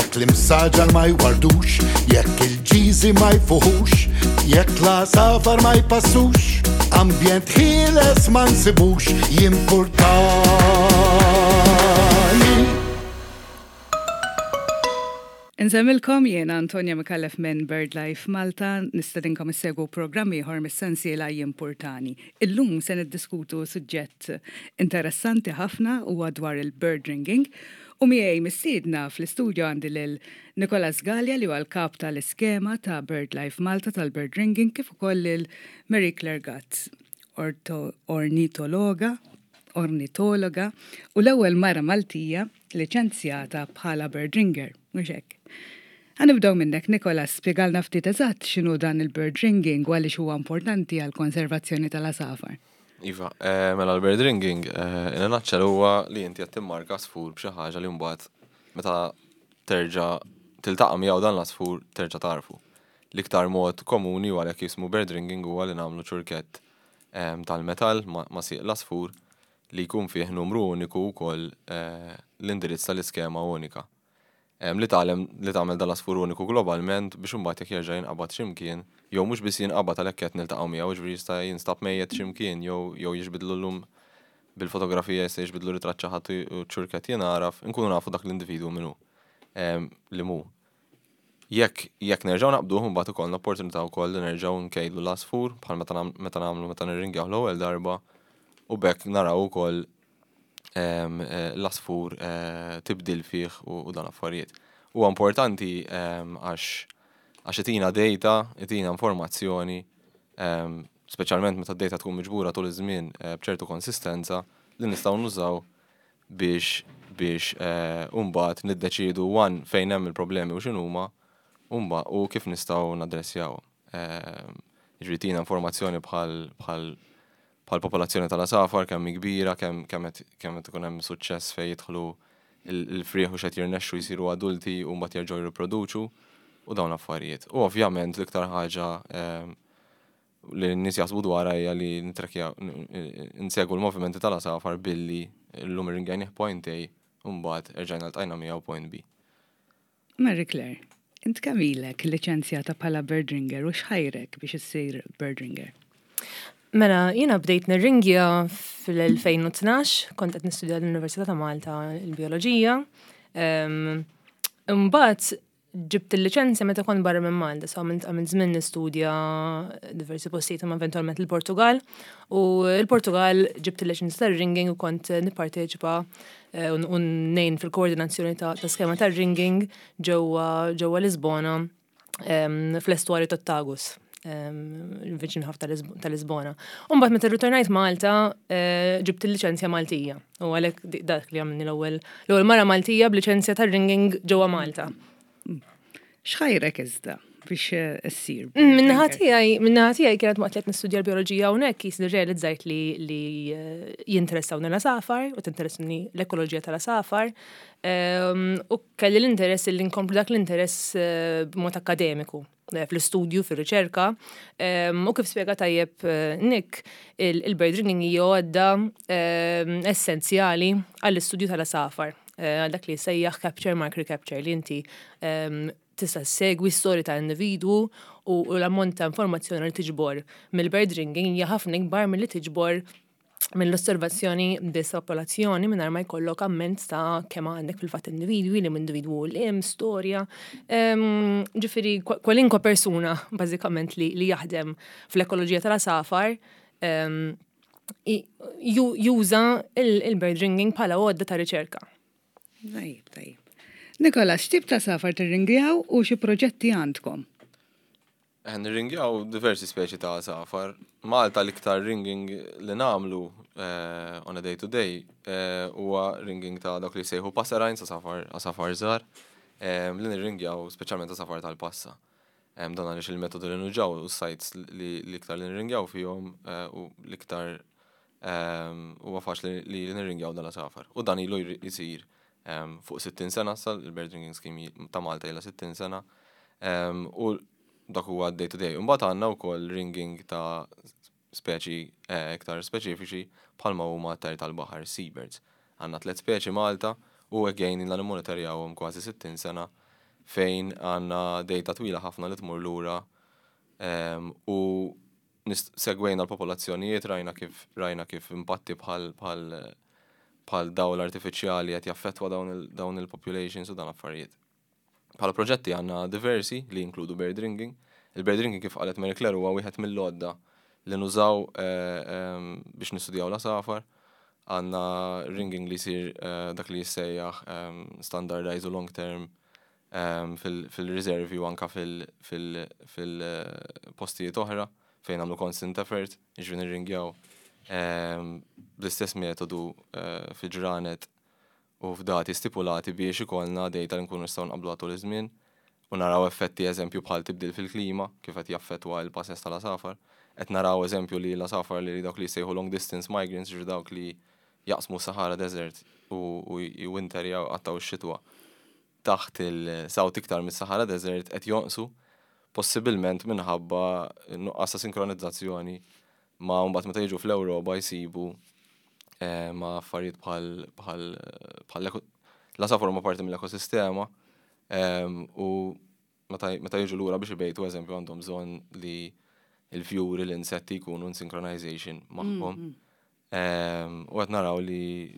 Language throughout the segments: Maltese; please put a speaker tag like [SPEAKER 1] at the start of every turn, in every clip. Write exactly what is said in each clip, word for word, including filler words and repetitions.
[SPEAKER 1] Jekk l-imsaġar ma jwardux, jekk il-ġiżi ma jfuħux, jekk l-għasafar ma jpassux, ambjent ħieles ma nsibux, jimpurtani.
[SPEAKER 2] Insemmilkom jiena Antonia Micallef minn BirdLife Malta, nistedinkom issegwu programm ieħor mis-sensiela Jimpurtani. Illum se niddiskutu suġġett interessanti ħafna, huwa dwar il-bird ringing, u miegħi mistiedna fl-istudju għandi lil Nicolas Galea, li huwa l-kap tal-iskema ta' BirdLife Malta tal-bird ringing, kif ukoll lil Marie Claire Gatt, ornitologa, ornitologa u l-ewwel mara Maltija liċenzjata bħala bird ringer, mhux hekk? Ħa nibdew minnek, Nicolas, spjegalna ftit eżatt x'inhu dan il-bird ringing u għaliex huwa importanti għall-konservazzjoni tal-għasafar.
[SPEAKER 3] Iva, eh, mela l-bird ringing, eh, in a nutshell, huwa li inti qed timmarka għasfur b'xi ħaġa li mbagħad meta terġa' tiltaqa' miegħu dan l-għasfur terġa' tarfu. L-iktar mod komuni, u għalhekk jismu bird ringing, huwa li nagħmlu ċurkett tal-metall ma' sieq l-għasfur li jkun fih numru uniku wkoll eh, l-indirizz tal-iskema unika. Li tagħlem li tagħmel dal-għasfur uniku globalment biex imbagħad jekk jerġa' jinqabad x'imkien, jew mhux biss jinqabad, għalhekk qed niltaqgħu miegħu, ġifieri jista' jinstab mejjet x'imkien jew jew jiġbidlu llum bil-fotografija, jista' jiġbidlu ritratt xi ħadd u ċurkett jingħaraf, inkunu nafu dak l-individwu min hu li mu. Jekk jekk nerġgħu naqbduh, mbagħad ikollna opportunità wkoll li nerġgħu nkejlu l-għasfur bħal meta meta nagħmlu meta nirringjaw l-ewwel darba, u b'hekk naraw ukoll l-għasfur tibdil fih u dan affarijiet. Huwa importanti għax għax itina data, itina informazzjoni, speċjalment meta d-data tkun miġbura tul iż-żmien b'ċertu konsistenza, li nistgħu nużaw biex biex mbagħad niddeċiedu one fejn hemm il-problemi u x'inhuma u kif nistgħu naddressjawhom. Jiġifieri tina informazzjoni bħal bħal bħal popolazzjoni tal-għasafar, kemm hi kbira, kemm kemm qed ikun hemm suċċess fejn jidħlu il-frieħ u x'qed jirnexxu jsiru adulti u mbagħad jerġgħu jirriproduċu u dawn l-affarijiet. U ovvjament l-iktar ħaġa li n-nies jaħsbu dwarha hija li nitrekjaw, insegwu l-movimenti tal-għasafar billi llum irringajnih point A u mbagħad erġajna ltqajna miegħu point B.
[SPEAKER 2] Marie Claire, int kemm ilek liċenzjata bħala bird ringer u x'ħajrek biex issir bird ringer?
[SPEAKER 4] Mela, jiena bdejt nirringja fil-elfejn u tnax, kont qed nistudja l-Università ta' Malta il-bioloġija. Imbagħad ġibt il-liċenzja meta kont barra minn Malta, so għamilt għamilt żmien nistudja diversi postijiet, imma eventwalment il-Portugal. U il-Portugal ġibt il-liċenzja tar-ringing u kont nipparteċipa eh, u ngħin fil-koordinazzjoni ta' skema tar-ringing ġewwa ġewwa Lisbona, fl-estwarju tat-Tagus, viċin ħafna ta' Lisbona. Umbagħad meta rritornajt Malta, eh, ġibt il-liċenzja Maltija. U għalhekk dak li għamilni l-ewwel l-ewwel mara Maltija b'liċenzja tar-ringing ġewwa Malta.
[SPEAKER 2] X'ħajrek iżda biex issir?
[SPEAKER 4] Mm, min-naħa tiegħi, min-naħa tiegħi kienet waqt li qed nistudja l-bioloġija hawnhekk qis li realizzajt li li eh, jinteressawni l-għasafar u tinteressani l-ekoloġija tal-għasafar. Ehm, u kelli l-interess li nkomplu dak l-interess eh, b'mod akademiku eh, fl-istudju, fil-riċerka. Ehm, u kif spjega tajjeb Nick, il-bird ringing hija għodda ehm, essenzjali għall-istudju tal-għasafar. Għal dak li sejjaħ capture, mark, recapture, li inti tista' segwi storja ta' individwu u l-ammont ta' informazzjoni li tiġbor mill-bird ringing hija ħafna ikbar milli tiġbor mill-osservazzjoni biss popolazzjoni mingħajr ma jkollok amment ta' kemm għandek fil-fatt individwi, li individwu l-im, storja. Ġifieri kwalinkwa persuna bażikament li, li jaħdem fl-ekoloġija tal-għasafar juża il-bird ringing bħala għodda ta' riċerka.
[SPEAKER 2] Tajjeb, tajjeb. Nikola, x'tip ta' għasafar tirringjaw u xi proġetti għandkom?
[SPEAKER 3] Eh, nirringjaw diversi speċi ta' għasafar. Malta l-iktar ringing li nagħmlu eh, on a day to day eh, huwa ringing ta' dak li sejħu passerines, għasafar għasafar żgħar, li nirringjaw speċjalment għasafar tal-passa. Dan għaliex il-metodu li nużaw u sites li l-iktar li nirringjaw fihom u l-iktar huwa faċli li nirringjaw dan l-għasafar. U dan ilu jisir fuq sittin sena sa il-Bird Ringing Scheme ta' Malta ilha sittin sena. U dak huwa day to day. Imbagħad għandna wkoll ringing ta' speċi eh, iktar speċifiċi bħalma huma tajr tal-baħar, seabirds. Għandna tliet speċi Malta u again ilna nimmonitorjawhom kważi sittin sena. Fejn għandna data twila ħafna li tmur lura em, u nist- segwejna l-popolazzjonijiet, rajna kif rajna kif impatti bħal bħal bħal dawl artifiċjali qed jaffettwa dawn il- dawn il-populations u dan affarijiet. Bħala proġetti għandna diversi li jinkludu bird ringing. Il-bird ringing, kif qalet Mary Claire, huwa wieħed mill-għodda li nużaw eh, em, biex nistudjaw l-għasafar. Għandna ringing li jsir eh, dak li jissejjaħ em, standardized u long term em, fil- fil-riservi u anka fil-postijiet oħra fejn għamlu constant effort, jiġifieri nirringjaw em, bl-istess metodu eh, fi ġranet u f'dati stipulati biex ikollna data li nkunu nistgħu nqablu tul iż-żmien u naraw effetti, eżempju, bħal tibdil fil-klima kif qed jaffettwa l-passes tal-għasafar. Qed naraw, eżempju, li l-għasafar li dawk li jsejħu long distance migrants, ġifieri dawk li jaqsmu Sahara Desert u u winter jew qattgħu x-xitwa taħt il-south iktar mis-Sahara Desert, qed jonqsu, possibilment minħabba nuqqas ta' sinkronizzazzjoni ma mbagħad meta jiġu fl-Ewropa jsibu eh, ma' affarijiet bħal bħal bħal l-għasafar huma parti mill-ekosistema em, u meta meta jiġu lura biex ibejtu, eżempju, għandhom bżonn li il-fjuri, l-insetti jkunu in synchronization magħhom. Em, U qed naraw li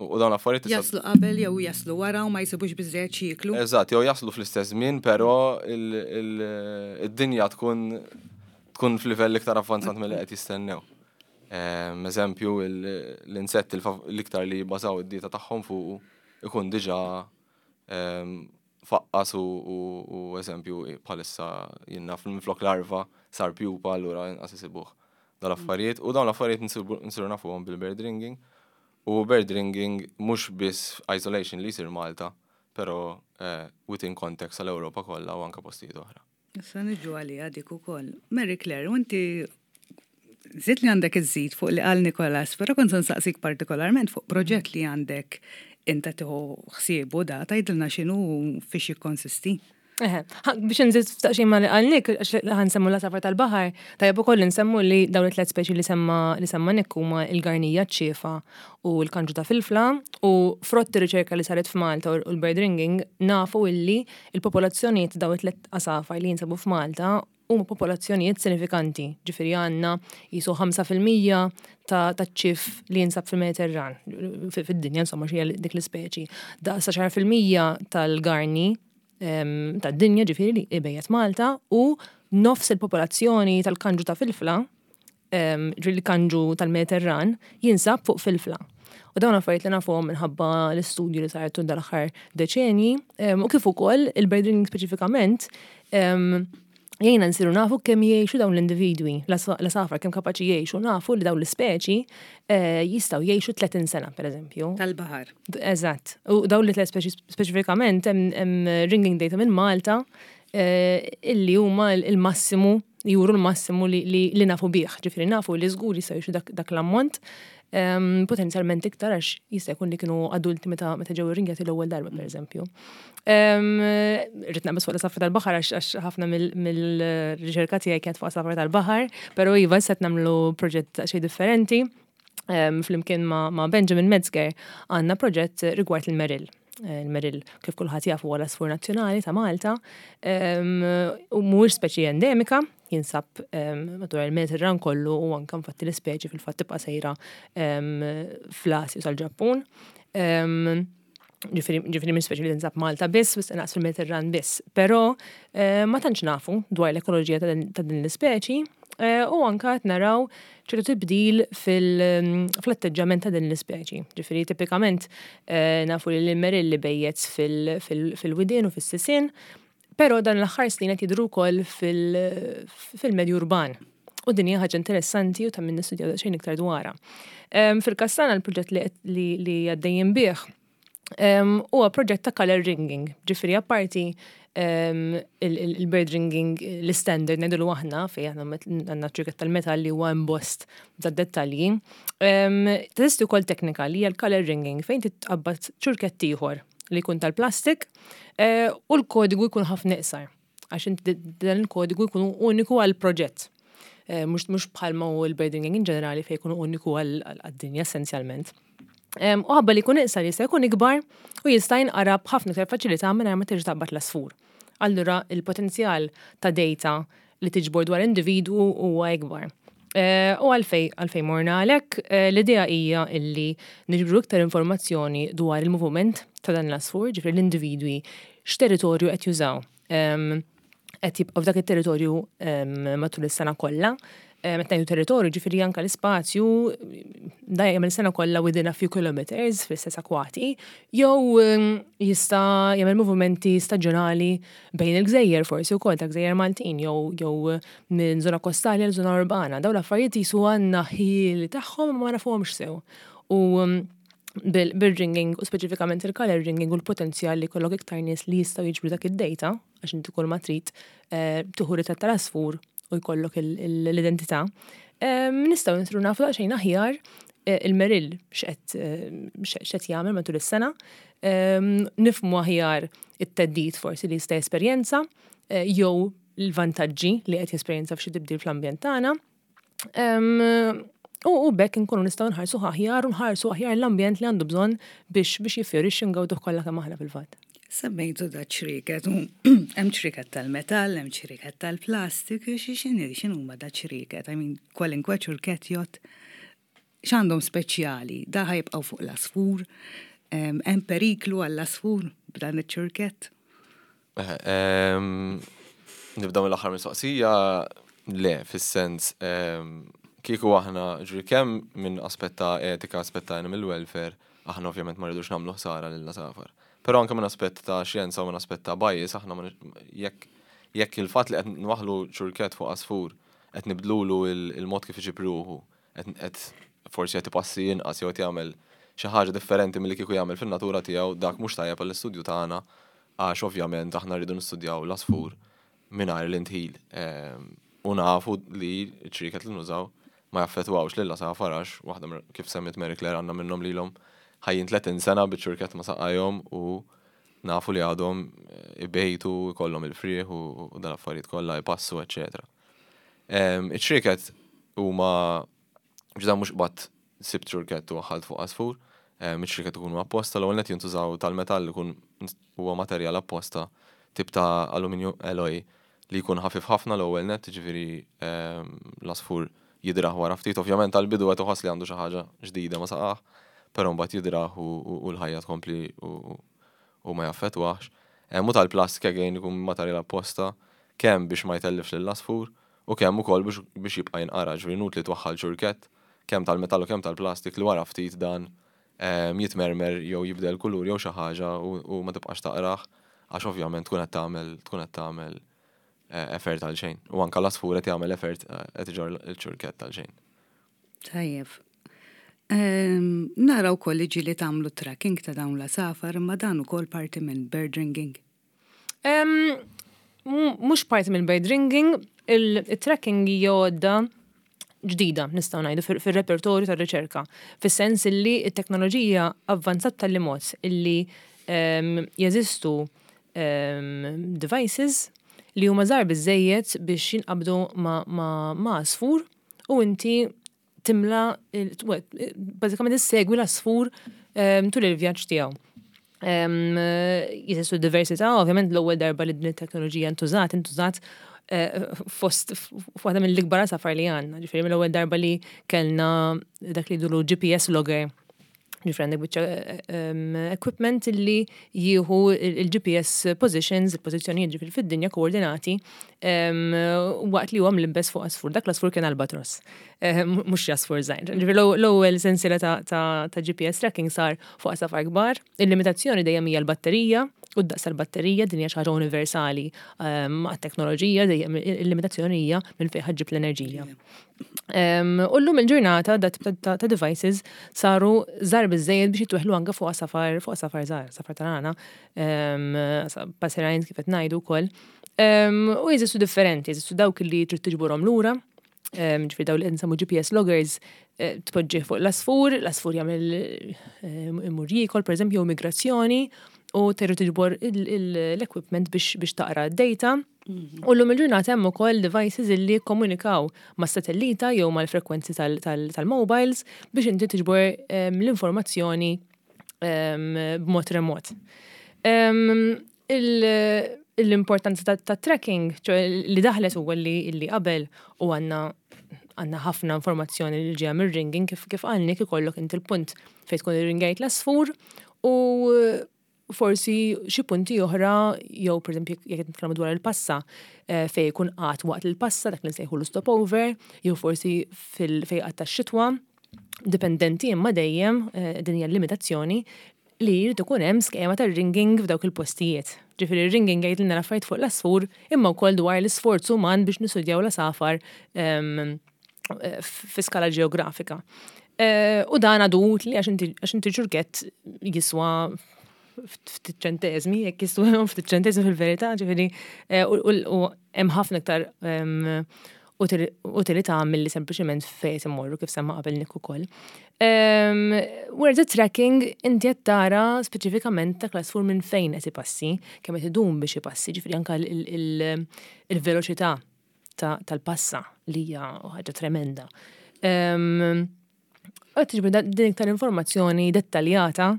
[SPEAKER 3] u u dawn l-affarijiet tista'
[SPEAKER 2] Jaslu qabel jew jaslu wara u ma jsibux biżżejjed x'jieklu.
[SPEAKER 3] Eżatt, jew jaslu fl-istess żmien, però il- il- id-dinja tkun tkun f'livell iktar avvanzat milli qed jistennew. Em, Eżempju, il- l-insetti l-fav- l-iktar li jibbażaw id-dieta tagħhom fuq ikun diġà em, faqqas u, u, u eżempju, bħalissa jiena minflok larva sar pupa, allura inqas isibuh dal-affarijiet u dawn l-affarijiet nsibu- nsiru nafuhom bil-bird ringing. U bird ringing mhux biss isolation li jsir Malta, però eh, within context għal-Ewropa kollha u anka postijiet oħra.
[SPEAKER 2] Issa niġu għalija dik ukoll. Mary Claire, u inti żid li għandek iżid fuq li qal Nikolas, però kont se nsaqsik partikolarment fuq proġett li għandek inta tieħu ħsiebu da, tgħidilna x'inhu u fiex jikkonsisti.
[SPEAKER 4] Eħe, ha, biex nżid daqsxejn ma li qal Nick, għax ħa nsemmu l-għasafar tal-baħar, tajjeb ukoll nsemmu li dawn it-tliet speċi li semma li semma Nick huma il-garnija, ċ-ċiefa u l-kanġu ta' filfla, u frott ir-riċerka li saret f'Malta u l-bird ringing nafu illi il-popolazzjonijiet dawn it-tliet għasafar li jinsabu f'Malta huma popolazzjonijiet sinifikanti. Ġifieri għandna qisu ħamsa fil-mija ta' ta' ċief li jinsab fil-Mediterran, fid-dinja, insomma, xi dik l-ispeċi. Daqs għaxra fil-mija tal-garni em, tad-dinja, ġifieri li ibejjet Malta, u nofs il-popolazzjoni tal-kanġu ta' filfla, em, ġifieri l-kanġu tal-Mediterran, jinsab fuq filfla. U dawn affarijiet li nafuhom minħabba l-istudju li saret tul dal-aħħar deċenji, em, u kif ukoll il-bird ringing speċifikament em, jgħinna nsiru nafu kemm jgħixu dawn l-individwi, l-għasafar kemm kapaċi jgħixu. Nafu li dawn l-ispeċi eh, jistgħu jgħixu tletin sena, per eżempju.
[SPEAKER 2] Tal-baħar.
[SPEAKER 4] Eżatt. U dawn li tliet speċi speċifikament hemm hemm ringing data minn Malta eh, illi huma il-massimu, juru l-massimu li, li, li nafu bih. Ġifieri nafu li żgur jistgħu jgħixu dak, dak l-ammont, em, potenzjalment iktar għax jista' jkun li kienu adulti meta meta ġew irringjati l-ewwel darba, pereżempju. Um, Rrid naqbes fuq l-għasafar tal-baħar għax għax ħafna mill-riċerka tiegħi kienet fuq għasafar tal-baħar, però iva, se nagħmlu proġett xejn differenti. Um, flimkien ma', ma' Benjamin Metzger għandna proġett rigward il-Merill. Eh, Il-Merill, kif kulħadd jaf, huwa l-għasfur nazzjonali ta' Malta, um, u mhuwiex speċi endemika, jinsab um, madwar il-Mediterran kollu u anke infatti l-ispeċi fil-fatt tibqa' sejra um, fl-Asja sal-Ġappun. Um, ġifieri ġifieri minn speċi li tinsab Malta biss, biss naqs fil-Mediterran biss. Però eh, ma tantx nafu dwar l-ekoloġija ta' din- ta' din l-ispeċi eh, u anka qed naraw ċertu tibdil fil- fl-atteġġament ta' din l-ispeċi. Ġifieri tipikament eh, nafu li l-merill ibejjet fil- fil- fil-widien u fis-sisien, però dan l-aħħar snin qed jidhru wkoll fil- fil-medju urban. U din hija ħaġa interessanti u ta' min nistudjaw daqsxejn iktar dwarha. Em, Fil-każ tagħna, l-proġett li li li għaddejjin bih em, huwa proġett ta' color ringing, ġifieri apparti em, il- il- il-bird ringing l-standard ngħidulu aħna, fejn aħna met- għandna ċirket tal-metall li huwa embossed da dettalji. Em, Teżisti wkoll teknika li hija l-color ringing, fejn titqabbad ċurkett ieħor li jkun tal-plastik eh, u l-kodigu jkun ħafna iqsar, għax inti dan il-kodigu jkun uniku għal proġett. Eh, Mhux mhux bħalma hu l-bird ringing in ġenerali, fejn jkunu uniku għal-dinja essenzjalment. Em, U ħabba li jkun iqsar jista' jkun ikbar u jista' jinqara b'ħafna iktar faċilità mingħajr ma terġa' taqbad l-għasfur. Allura il-potenzjal ta' data li tiġbor dwar individwu huwa ikbar. Eh, u għalfejn, għalfejn morna għalek, eh, l-idea hija illi niġbru iktar informazzjoni dwar il-moviment ta' dan l-għasfur, ġifieri l-individwi x'territorju qed jużaw. Qed jibqgħu f'dak it-territorju matul is-sena kollha. Meta ngħidu territorju, ġifieri anke l-ispazju da jagħmel sena kollha within a few kilometers fl-istess akwati, jew jista' jagħmel movimenti staġjonali bejn il-gżejjer forsi wkoll ta' gżejjer Maltin jew jew minn żona kostali għal żona urbana. Dawn l-affarijiet jisu għandna ħjiel tagħhom ma nafuhomx sew. U bil-ringing u speċifikament il-color ringing u l-potenzjal li jkollok iktar nies li jistgħu jiġbru dak id-data, għax inti kull ma trid eh, tieħu ritratt tal-għasfur u jkollok l-identità. Nistgħu nsiru nafu daqsxejn aħjar eh, il-merill x'qed eh, x'qed jagħmel matul is-sena, nifhmu aħjar it-theddid forsi li jista' jesperjenza jew l-vantaġġi li qed jesperjenza f'xi tibdil fl-ambjent tagħna. U u bekk nkunu nistgħu nħarsu aħjar u nħarsu aħjar l-ambjent li għandu bżonn biex biex jiffjorixxi, ngawduh kollha kemm aħna fil-fatt.
[SPEAKER 2] Semmejtu da ċriket, hemm ċriket tal-metall, hemm ċriket tal-plastik, xi x'inhi x'inhuma da ċriket? I mean, kwalinkwe ċurket jott x'għandhom speċjali, da ħa jibqgħu fuq l-għasfur, hemm periklu għall-għasfur b'dan iċ-ċurket?
[SPEAKER 3] Nibda mill-aħħar mistoqsija, le, fis-sens kieku aħna ġri kemm minn aspett ta' etika, aspett ta' animal welfare, aħna ovvjament ma rridux nagħmlu ħsara lill-għasafar. Però anke minn aspett ta' xjenza u minn aspett ta' bias, aħna jekk jekk il-fatt li qed nwaħlu ċurket fuq għasfur qed nibdlulu il-mod kif iġib ruħu, qed forsi qed ipassi inqas jew qed jagħmel xi ħaġa differenti milli kieku jagħmel fin-natura tiegħu, dak mhux tajjeb għall-istudju tagħna, għax ovvjament aħna rridu nistudjaw l-għasfur mingħajr l-indħil. U nafu li ċriket li nużaw ma jaffettwawx lil għasafar għax waħda, kif semmit Mary Claire, għandna minnhom lilhom ħajjin tletin sena biċ-ċurket ma' saqajhom u nafu li għadhom ibejtu, kollhom il-frieħ u dan affarijiet kollha, jpassu, eċetera. Iċ-ċriket huma ġda mhux qbadt sibt ċurket u waħħalt fuq għasfur, iċ-ċriket ikunu apposta, l-ewwel net jintużaw tal-metall, ikun huwa materjal apposta, tip ta' aluminju alloy li jkun ħafif ħafna l-ewwel net, ġifieri l-għasfur jidrah wara ftit, ovvjament għal-bidu qed iħoss li għandu xi ħaġa ġdida ma saqah, però mbagħad jidrah u l-ħajja tkompli u ma jaffettwax. U tal-plastik again ikun materjal apposta kemm biex ma jtellifx lill-għasfur u kemm ukoll biex jibqa' jinqara, ġifieri inutli twaħħal ċurkett kemm tal-metall u kemm tal-plastik li wara ftit dan jitmermer jew jibdel kulur jew xi ħaġa u ma tibqax taqrah, għax ovvjament tkun qed tagħmel tkun qed tagħmel effort għal xejn. U anke l-għasfur qed jagħmel effort, qed iġorr il-ċurkett għal xejn.
[SPEAKER 2] Tajjeb. Nara wkoll li ġieli tagħmlu tracking ta' dawn l-għasafar, imma dan ukoll parti minn bird ringing.
[SPEAKER 4] Mhux parti minn bird ringing, il-tracking hija għodda ġdida, nistgħu ngħidu, fir-repertorju tar-riċerka. Fis-sens illi t-teknoloġija avvanzat tal mod illi jeżistu devices li huma żgħar biżejjed biex jinqabdu ma' għasfur u inti timla, bażikament issegwi l-għasfur tul il-vjaġġ tiegħu. Jeżistu diversità, ovvjament l-ewwel darba li din it-teknoloġija ntużat, intużat eh, fost waħda mill-ikbar għasafar li għandna. Ġifieri mill-ewwel darba li kellna dak li jgħidulu G P S logger. Ġifieri għandek biċċa equipment li jieħu il-G P S positions, il-pożizzjonijiet ġifieri fid-dinja, koordinati, waqt li huwa mlibbes fuq għasfur. Dak l-għasfur kien albatros, mhux għasfur żgħir. Ġifieri l-ewwel sensiela ta' G P S tracking sar fuq għasafar kbar. Il-limitazzjoni dejjem hija l-batterija u d-daqs tal-batterija, din hija xi ħaġa universali għat-teknoloġija, dejjem il-limitazzjoni hija minn fejn ħa ġġib l-enerġija. U llum il-ġurnata dat ta' devices saru żgħar biżejjed biex jitweħlu anke fuq għasafar fuq għasafar żgħar, għasafar tal-għana, passerines kif qed ngħidu wkoll. U jeżistu differenti, jeżistu dawk li trid tiġborhom lura, ġifieri dawn li nsemmu G P S loggers, eh, tpoġġi fuq l-għasfur, l-għasfur jagħmel imur jiekol, pereżempju, migrazzjoni, u terġa' tiġbor l-equipment biex taqra d-data. Mhm. U llum il-ġurnata hemm ukoll devices illi jikkomunikaw ma' satellita jew mal-frekwenzi tal-mobiles biex inti tiġbor l-informazzjoni b'mod remot. L-importanza ta' ta' tracking, ċoè li daħlet huwa li li qabel u għandna għandna ħafna informazzjoni li ġeja mir-ringing, kif kif għalnik ikollok inti l-punt fejn tkun irringajt l-asfur u forsi xi punti oħra, jew pereżempju jekk qed nitkellmu dwar il-passa, eh, fejn jkun qagħad waqt il-passa, dak li nsejħu l-stopover, jew forsi fil fejn qagħad tax-xitwa, dipendenti, imma dejjem eh, din hija l-limitazzjoni li jrid ikun hemm skema ta' ringing f'dawk il-postijiet. Ġifieri ringing jgħidilna l-affarijiet fuq l-asfur imma wkoll dwar l-isforz uman biex nistudjaw l-asafar ehm, eh, fi skala ġeografika. Eh, U dan għadu utli għax inti għax inti ċurkett jiswa ftit ċentesmi, jekk jiswa ftit ċentesmi fil-verità, ġifieri, eh, u u- u hemm ħafna iktar ehm, util- utilità milli sempliċement fejn immorru, kif semma qabel Nick ukoll. Um, whereas the tracking inti qed tara speċifikament ta' l-għasfur minn fejn qed ipassi, kemm qed idum biex ipassi, ġifieri anke il- il- il-veloċità ta- tal-passa li hija ħaġa tremenda. Um, Qed tiġbor din iktar informazzjoni dettaljata,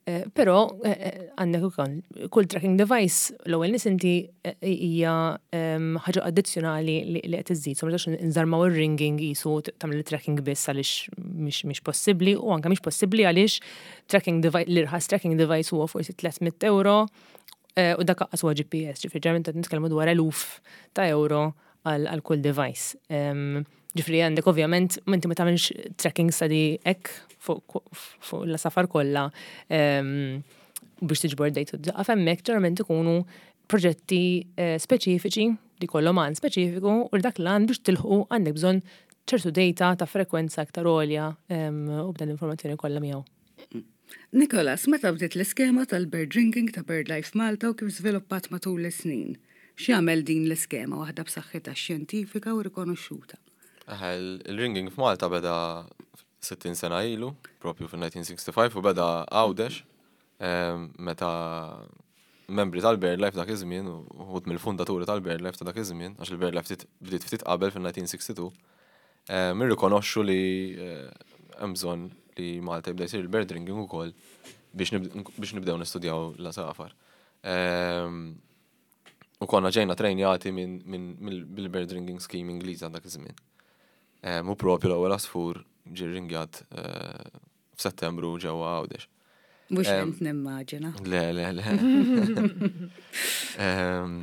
[SPEAKER 4] eh, però eh, eh, għandek ukoll kull tracking device, l-ewwel nies inti eh, hija em, ħaġa addizzjonali li li qed iżżid. So ma nistax nżarmaw ir-ringing qisu tagħmel il-tracking biss, għaliex mhix mhix possibbli, u anke mhix possibbli għaliex tracking device, l-irħas tracking device huwa forsi tliet mitt euro eh, u dak qas huwa G P S, ġifieri ġeneralment qed nitkellmu dwar eluf ta' euro għal għal kull device. Em, Ġifieri għandek ovvjament, inti ma tagħmilx tracking study hekk fuq fuq l-safar kollha em, biex tiġbor data daqqa hemmhekk. Ġeneralment ikunu proġetti eh, speċifiċi li kollhom għan speċifiku, u dak l-għan biex tilħu għandek bżonn ċertu data ta' frekwenza aktar għolja em, u b'dan l-informazzjoni kollha miegħu.
[SPEAKER 2] Nikolas, meta bdiet l-iskema tal-bird ringing ta' BirdLife Malta u kif żviluppat matul is-snin? X'jagħmel din l-iskema waħda b'saħħitha xjentifika u rikonoxxuta?
[SPEAKER 3] Eħe, il-ringing f'Malta beda sittin sena ilu, propju fil-elf disa' mija u ħamsa u sittin, u beda Għawdex, em, meta membri tal-BirdLife dak iż-żmien, u uħud mill-fundaturi tal-BirdLife ta' dak iż-żmien, għax il-BirdLife ftit- bdiet ftit qabel fil-elf disa' mija u tnejn u sittin, em, irrikonoxxu li eh, hemm bżonn li Malta jibda jsir il-bird ringing ukoll biex nib- biex nibdew nistudjaw l-asafar. Em, U konna ġejna trejnjati minn min, bil-bird ringing scheme Ingliża dak iż-żmien. Em, U propju l-ewwel għasfur ġie ringjat eh, f'Settembru ġewwa Għawdex.
[SPEAKER 2] Mhux
[SPEAKER 3] Em,
[SPEAKER 2] int nimmaġina.
[SPEAKER 3] Le, le, le. Em,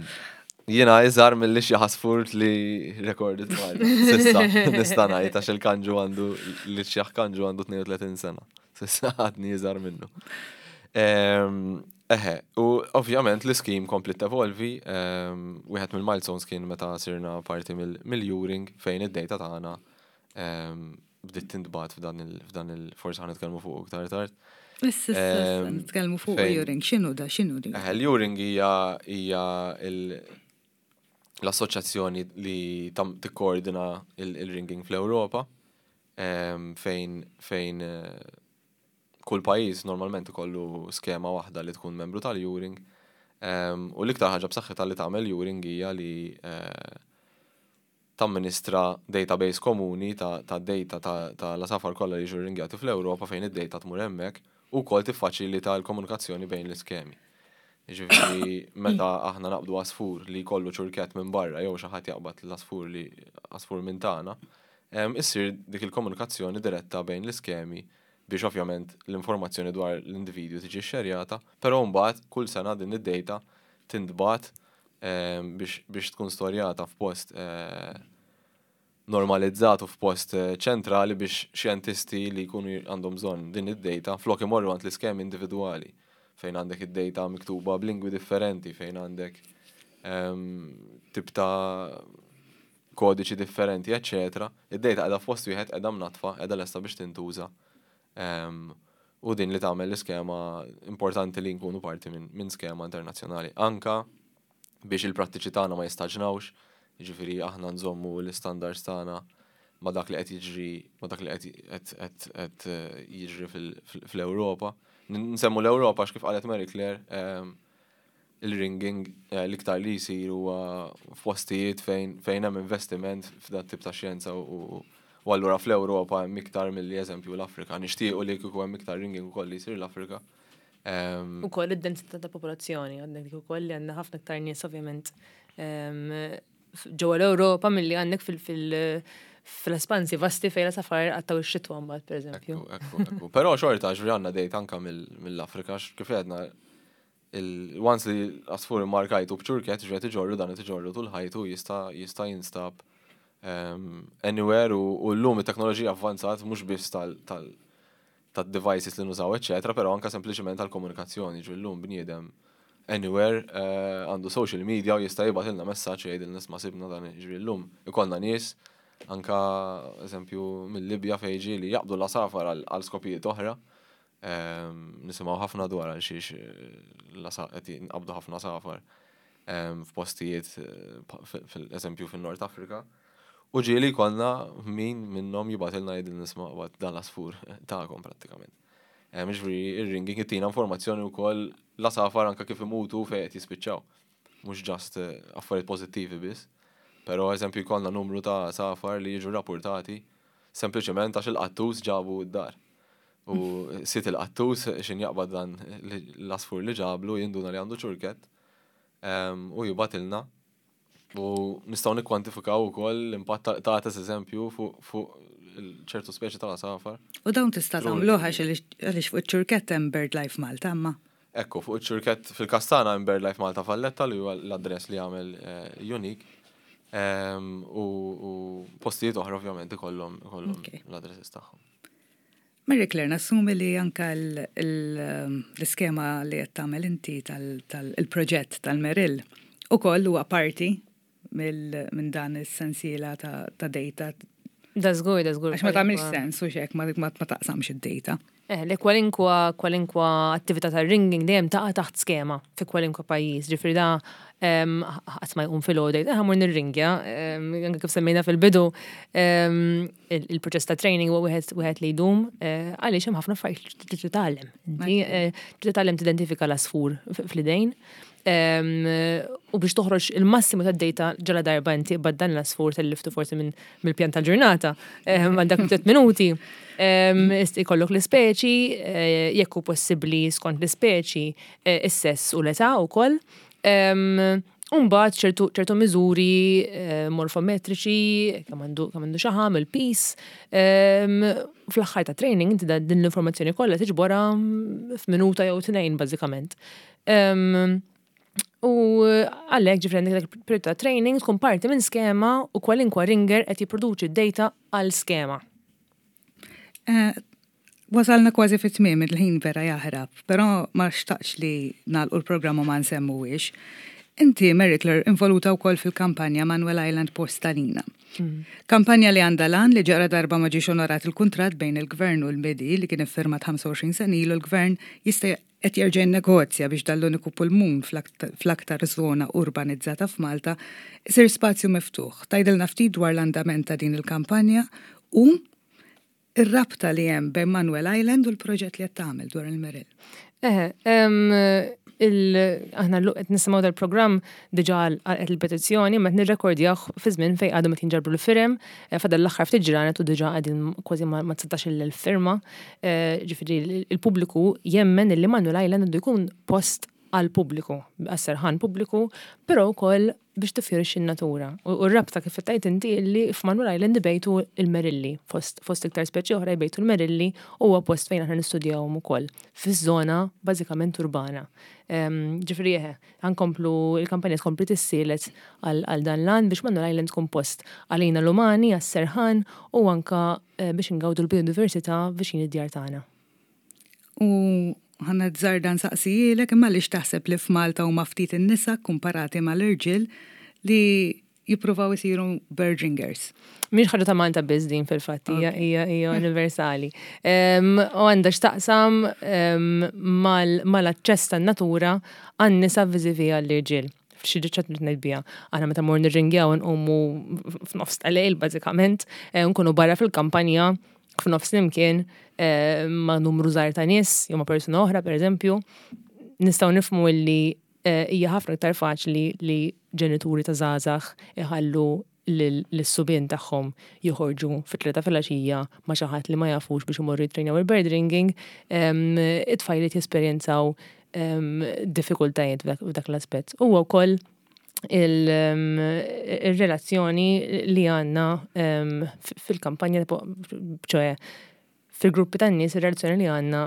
[SPEAKER 3] Jiena iżgħar mill-li xi għasfur li recorded Malta. S'issa, nista' ngħid, għax il-kanġu għandu, li xi kanġu għandu tnejn u tletin sena. S'issa għadni iżgħar minnu. Em, Eħe, u ovvjament l-scheme kompli tevolvi, em, wieħed mill-milestones kien meta sirna parti mill- mill-EURING fejn id-data tagħna em, bdiet tintbagħat f'dan il- f'dan il forsi ħa nitkellmu fuq iktar tard.
[SPEAKER 2] Issa, issa, issa,
[SPEAKER 3] Em,
[SPEAKER 2] nitkellmu fuq
[SPEAKER 3] fejn-
[SPEAKER 2] EURING, x'inhu da, x'inhu di?
[SPEAKER 3] Eħe, l-EURING hija hija il- l-assoċjazzjoni li tam tikkoordina il-ringing fl-Ewropa, em, fejn fejn eh, kull pajjiż normalment ikollu skema waħda li tkun membru tal-EURING. Em, U l-iktar ħaġa b'saħħitha li tagħmel EURING hija li eh, tamministra database komuni ta', ta' data ta', ta' l-asafar kollha li jiġu ringjati fl-Ewropa, fejn id-data tmur hemmhekk u wkoll tiffaċilita l-komunikazzjoni bejn l-iskemi. Ġifieri meta aħna naqbdu għasfur li jkollu ċurkett minn barra jew xi ħadd jaqbad l-asfur li għasfur minn tagħna, em, issir dik il-komunikazzjoni diretta bejn l-iskemi biex ovvjament l-informazzjoni dwar l-individwu tiġi xerjata, però mbagħad kull sena din id-data tintbagħat em, biex, biex tkun storjata f'post eh, normalizzat u f'post eh, ċentrali biex xjentisti li jkunu għandhom bżonn din id-data, flok imorru għand l-iskemi individwali fejn għandek id-data miktuba b'lingwi differenti, fejn għandek em, tip ta' kodiċi differenti, eccetera. Id-data qiegħda f'post wieħed, qiegħda mnatfa, qiegħda lesta biex tintuża. Em, u din li tagħmel l-iskema importanti li nkunu parti minn min skema internazzjonali. Anka biex il-prattiċi tagħna ma jistaġnawx, jiġifieri aħna nżommu l-istandards tagħna ma dak li qed jiġri ma dak li qed qed qed qed eh, jiġri fil- fil- fl-Ewropa. Nsemmu l-Ewropa għax kif qalet Mary Claire, em, il-ringing eh, l-iktar li jsir huwa f'postijiet fejn fejn hemm investiment f'dan tip ta' xjenza u u allura fl-Ewropa hemm iktar milli eżempju l-Afrika. Nixtiequ li kieku hemm iktar ringing ukoll li jsir l-Afrika. Em,
[SPEAKER 4] U koll id-densità ta' popolazzjoni, għandek dik ukoll li għandna ħafna iktar nies ovvjament em, ġewwa l-Ewropa milli għandek fil- fil- fil-espansi vasti fejn l-għasafar qattgħu x-xitwa mbagħad, pereżempju.
[SPEAKER 3] Ekku, ekku, ekku. Però xorta ġifieri għandna data anka mill- mill-Afrika, x- kif għedna, il- once li għasfur immarkajtu b'ċurket, ġifieri iġorru dan iġorru tul ħajtu, jista' jista' jinstab um, anywhere u, u llum it-teknoloġija avvanzat mhux biss tal, tal, tad-devices li nużaw, eccetera, però anka sempliċement tal-komunikazzjoni, ġifieri llum bniedem anywhere eh, għandu social media u jista' jibgħatilna messaġġ jgħidilna, "Isma', sibna dan." Ġifieri llum ikollna nies anka eżempju mill-Libja fejn ġieli jaqbdu l-għasafar għal għal skopijiet oħra. Ehm, Nisimgħu ħafna dwar għal xiex l-għasa- qed jinqabdu ħafna għasafar ehm, f'postijiet eh, pa- fil- fil-eżempju fin-Nord Afrika. U ġieli konna min minnhom jibgħatilna jgħidilna, "Isma', qbadt dan l-għasfur tagħkom," prattikament. Ehm, Ġifieri ir-ringing ittina informazzjoni wkoll l-għasafar anka kif imutu, fejn qed jispiċċaw. Mhux just eh, affarijiet pożittivi biss. Però eżempju jkollna numru ta' għasafar li jiġu rapportati sempliċement għax il-qattus ġabu d-dar. U sid il-qattus xin jaqbad dan l-għasfur li ġablu jinduna li għandu ċurket em, u jibgħatilna u nistgħu nikkwantifikaw ukoll l-impatt ta' ta' eżempju fuq fuq ċertu speċi tal-għasafar.
[SPEAKER 2] U dawn tista'
[SPEAKER 3] True.
[SPEAKER 2] tagħmluha għaliex fuq iċ-ċurkett hemm BirdLife Malta, imma.
[SPEAKER 3] Ekku, fuq iċ-ċurket fil-Kastana hemm BirdLife Malta Valletta li huwa l-address li jagħmel eh, unique. Em, U u postijiet oħra ovvjament ikollhom ikollhom
[SPEAKER 2] Ok.
[SPEAKER 3] l-addresses tagħhom.
[SPEAKER 2] Marie Claire, nassumi li anka l- l- l-iskema li qed tagħmel inti tal-proġett tal-Merill ukoll huwa parti mill- minn dan is-sensiela ta' ta' data.
[SPEAKER 4] Da żgur, da żgur.
[SPEAKER 2] Għax ma tagħmilx sens u xek ma ma ma taqsamx id-data.
[SPEAKER 4] Eh, li kwalinkwa kwalinkwa attività ta' ringing dejjem taqa' taħt skema fi kwalinkwa pajjiż. Ġifieri da em, ħadd ma jqum filgħodu jgħid, "Eh, ħa mmur nirringja," em, anke kif semmejna fil-bidu, em, il- il-proċess ta' training huwa wieħed wieħed li jdum, eh, għaliex hemm ħafna affarijiet li trid titgħallem. Inti eh, trid titgħallem tidentifika l-għasfur fl-idejn. Em, u biex toħroġ il-massimu ta' data ġala darba inti qbadt dan l-għasfur tal-liftu forsi minn mill-pjan tal-ġurnata em, għal dak tliet minuti. Em, ist- Ikollok l-ispeċi, eh, jekk hu possibbli skont l-ispeċi, eh, is-sess u l-età wkoll. Em, Umbagħad ċertu ċertu miżuri eh, morfometriċi, kemm għandu kemm għandu xaħam, il-piż. Em, Fl-aħħar ta' training inti da- din l-informazzjoni kollha tiġborha mm, f'minuta jew tnejn bażikament. Em, U għalhekk ġifieri għandek dak il-periodu ta' training tkun parti minn skema u kwalinkwa ringer qed jipproduċi d-data għal skema.
[SPEAKER 2] Eh, Wasalna kważi fit tmiem, il-ħin vera jaħrab, però ma xtaqx li nagħlqu l-programma ma nsemmuwiex. Inti, Mary Claire, involuta wkoll fil-kampanja Manuel Island Post Għalina. Kampanja li għandha l-għan li ġara darba ma ġiex onorat il-kontrat bejn il-gvern u l-M I D I li kien iffirmat ħamsa u għoxrin sena ilu, l-gvern jista' qed jerġa' jinnegozja biex dan l-uniku pulmun fl-aktar żona urbanizzata f'Malta isir spazju miftuħ. Tgħidilna ftit dwar l-andament ta' din il-kampanja u ir-rabta li hemm bejn Manuel Island u l-proġett li qed tagħmel dwar il-Merill.
[SPEAKER 4] Eħe, em, il- aħna l qed nisimgħu dal-programm diġà għal il-petizzjoni, ma nirrekordjah fi żmien fejn għadhom qed jinġabru l-firem, eh, fadal l-aħħar ftit ġranet u diġà qegħdin kważi ma dsatax-il firma. Eh, Ġifieri il-pubbliku jemmen li Manuel Island għandu jkun post għal pubbliku, għas-serħan pubbliku, però wkoll biex tifjorixxi n-natura. U u r-rabta kif tajt inti li f'Manuel Island ibejtu il-merilli, fost, fost iktar speċi oħra jbejtu l-merilli, u huwa post fejn aħna nistudjawhom ukoll fiż-żona bażikament urbana. Em, Ġifieri eħe, ħa nkomplu il-kampanja tkompli tissielet għal għal dan l-għan biex Manuel Island tkun post għalina l-umani, għas-serħan u anka eh, biex ingawdu l-biodiversità viċin id-djar tagħna.
[SPEAKER 2] U ħa nazzarda nsaqsihielek, imma għaliex taħseb li f'Malta huma ftit in-nisa komparati mal-irġiel li jippruvaw isiru bird ringers?
[SPEAKER 4] Mhix ħaġa ta' Malta biss din fil-fatt, hija hija hija universali. Em, U għandha x'taqsam em, mal- mal-aċċess tan-natura għan-nisa vis-à-vis għall-irġiel. Xi ġiċċat ngħid biha. Aħna meta mmorru nirringjaw nqumu f'nofs tal-lejl bażikament, eh, nkunu barra fil-kampanja f'nofs nimkien eh, ma' numru żgħar ta' nies, jew ma' persuna oħra pereżempju, nistgħu nifhmu illi eh, hija ħafna iktar faċli li ġenituri ta' żgħażagħ iħallu lis-subien tagħhom joħorġu fit-tlieta filgħaxija ma' xi ħadd li ma jafux biex imorru jitrejnjaw il-bird ringing, it-tfajliet jesperjenzaw diffikultajiet f'dak l-aspett. Huwa wkoll il-relazzjoni li għandna fil-kampanja, ċoè fil-gruppi tan-nies, ir-relazzjoni li għandna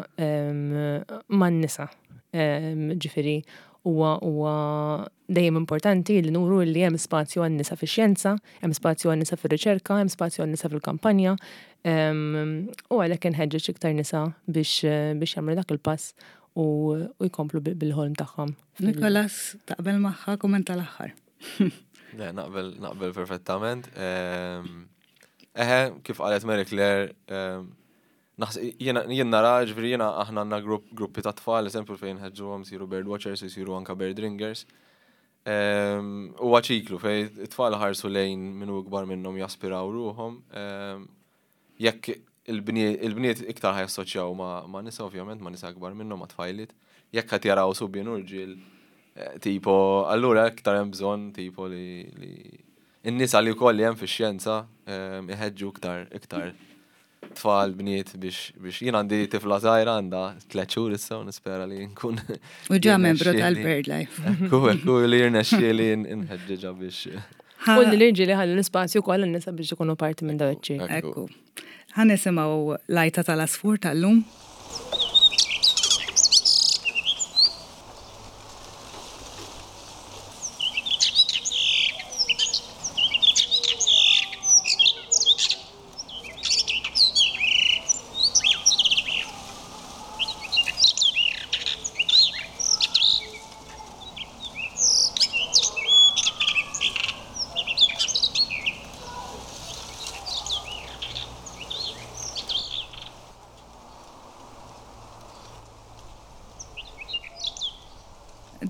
[SPEAKER 4] man-nisa. Ġifieri huwa huwa dejjem importanti li nuru li hemm spazju għan-nisa fix-xjenza, hemm spazju għan-nisa fir-riċerka, hemm spazju għan-nisa fil-kampanja, u għalhekk inħeġġeġ iktar nisa biex biex jagħmlu dak il-pass u jkomplu bil-ħolm tagħhom.
[SPEAKER 2] Nikolas, taqbel magħha kumment tal-aħħar.
[SPEAKER 3] Le, naqbel naqbel perfettament. Eħe, kif qalet Mary Claire, jien nara, ġifieri jiena aħna għandna gruppi ta' tfal, eżempju fejn ħeġġuhom isiru bird watchers, isiru anka bird ringers. Huwa ċiklu fejn it-tfal ħarsu lejn min hu ikbar minnhom jaspiraw ruħhom. Jekk il-bniet iktar ħajassoċjaw ma' nisa ovvjament, ma' nisa akbar minnhom, ma' tfajliet. Jekk qed jaraw subien u rġiel, tipo, allura iktar hemm bżonn tipo li n-nisa li wkoll li hemm fix-xjenza iħeġġu iktar iktar tfal bniet biex biex jien għandi tifla żgħira għandha tliet xhur issa u nispera li nkun.
[SPEAKER 2] U ġa membru tal-BirdLife.
[SPEAKER 3] Ekku, ekku li jirnexxieli nħeġġeġha biex.
[SPEAKER 4] U li l-irġiel iħallu l-ispazju wkoll għan-nisa biex ikunu parti minn dawn iċ-ċirki.
[SPEAKER 2] Ekku. Ħa nisimgħu l-għajta tal-għasfur tal-lum.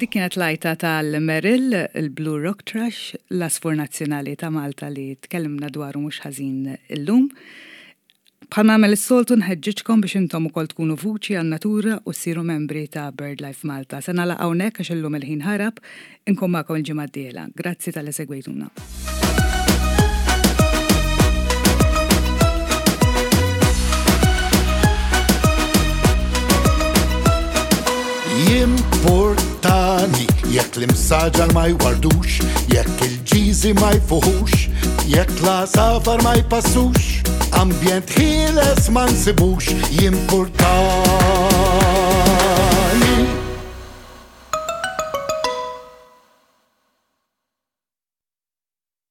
[SPEAKER 2] Dik kienet l-għajta tal-Merrill, il-Blue Rock Thrush, l-għasfur nazzjonali ta' Malta li tkellimna dwaru mhux ħażin illum. Bħal nagħmel is-soltu nħeġġiġkom biex intom ukoll tkunu vuċi għan-natura u ssiru membri ta' BirdLife Malta. Se nagħlaq hawnhekk għax illum il-ħin ħarab, inkun magħkom il-ġimgħa d-dieħla. Grazzi talli segwejtuna.
[SPEAKER 1] Jimportani jekk l-imsaġar ma jwardux, jekk il-ġiżi ma jfuħux, jekk l-għasafar ma jpassux, ambjent ħieles ma nsibux. Jimportani.